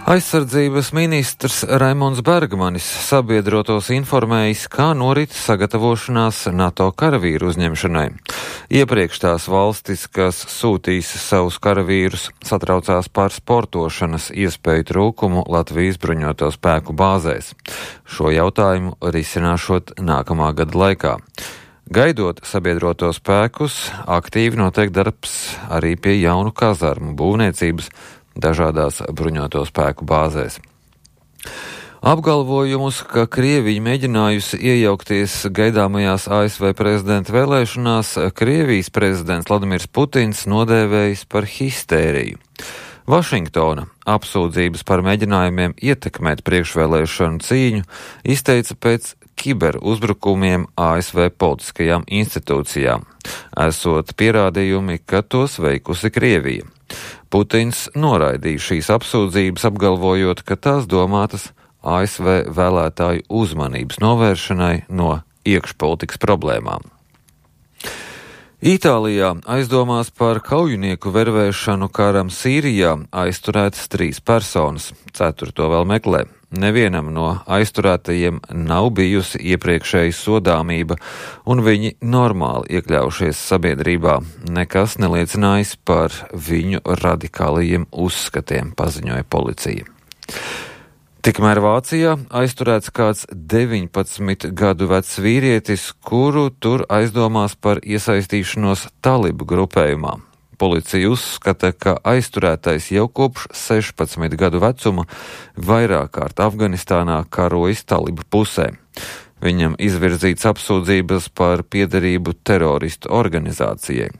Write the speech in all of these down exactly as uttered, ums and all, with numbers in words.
Aizsardzības ministrs Raimonds Bergmanis sabiedrotos informējis, kā norit sagatavošanās NATO karavīru uzņemšanai. Iepriekš tās valstis, kas sūtīs savus karavīrus, satraucās par sportošanas iespēju trūkumu Latvijas bruņoto spēku bāzēs. Šo jautājumu risināšot nākamā gada laikā. Gaidot sabiedroto spēkus, aktīvi notiek darbs arī pie jaunu kazarmu būvniecības dažādās bruņoto spēku bāzēs. Apgalvojumus, ka Krievija mēģinājusi iejaukties gaidāmajās A S V prezidenta vēlēšanās, Krievijas prezidents Vladimirs Putins nodēvējis par histēriju. Vašingtona apsūdzības par mēģinājumiem ietekmēt priekšvēlēšanu cīņu izteica pēc kiberuzbrukumiem A S V politiskajām institūcijām, esot pierādījumi, ka tos veikusi Krievija. Putins noraidīja šīs apsūdzības, apgalvojot, ka tās domātas A S V vēlētāju uzmanības novēršanai no iekšpolitikas problēmām. Itālijā aizdomās par kaujinieku vervēšanu karam Sīrijā aizturētas trīs personas, ceturto vēl meklē. Nevienam no aizturētajiem nav bijusi iepriekšēja sodāmība, un viņi normāli iekļaujušies sabiedrībā. Nekas neliecinājis par viņu radikālajiem uzskatiem, paziņoja policija. Tikmēr Vācijā aizturēts kāds deviņpadsmit gadu vecs vīrietis, kuru tur aizdomās par iesaistīšanos talibu grupējumā. Policija uzskata, ka aizturētais jau kopš sešpadsmit gadu vecuma vairāk kārt Afganistānā karojis talibu pusē. Viņam izvirzīts apsūdzības par piederību teroristu organizācijai.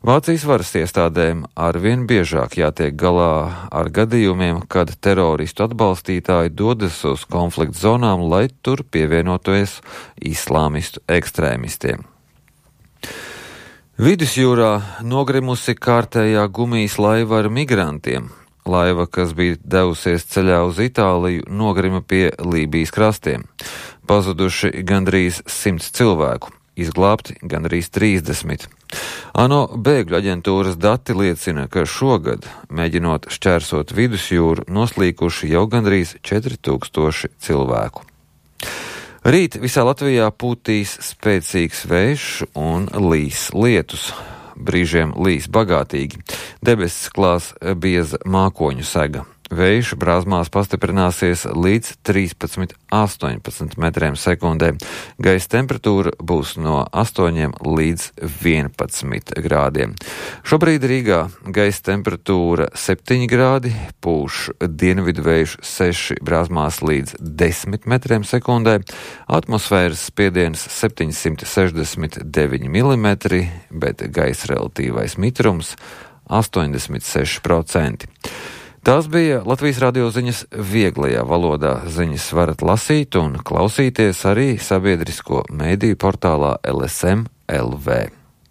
Vācijas varas iestādēm arvien biežāk jātiek galā ar gadījumiem, kad teroristu atbalstītāji dodas uz konflikta zonām, lai tur pievienotos islāmistu ekstrēmistiem. Vidusjūrā nogrimusi kārtējā gumijas laiva ar migrantiem. Laiva, kas bija devusies ceļā uz Itāliju, nogrima pie Lībijas krastiem. Pazuduši gandrīz simts cilvēku, izglābti gandrīz trīsdesmit. ANO bēgļu aģentūras dati liecina, ka šogad, mēģinot šķērsot vidusjūru, noslīkuši jau gandrīz četri tūkstoši cilvēku. Rīt visā Latvijā pūtīs spēcīgs vējš un līs lietus. Brīžiem līs bagātīgi. Debesis klās bieza mākoņu sega. Vējš brāzmās pastiprināsies līdz trīspadsmit līdz astoņpadsmit metriem sekundē. Gaisa temperatūra būs no astoņiem līdz vienpadsmit grādiem. Šobrīd Rīgā gaisa temperatūra septiņi grādi, pūš dienvidu vējš seši brāzmās līdz desmit metriem sekundē, atmosfēras spiediens septiņsimt sešdesmit deviņi milimetri, bet gaisa relatīvais mitrums astoņdesmit seši procenti. Tās bija Latvijas radio ziņas vieglajā valodā. Ziņas varat lasīt un klausīties arī sabiedrisko mēdīju portālā L S M L V.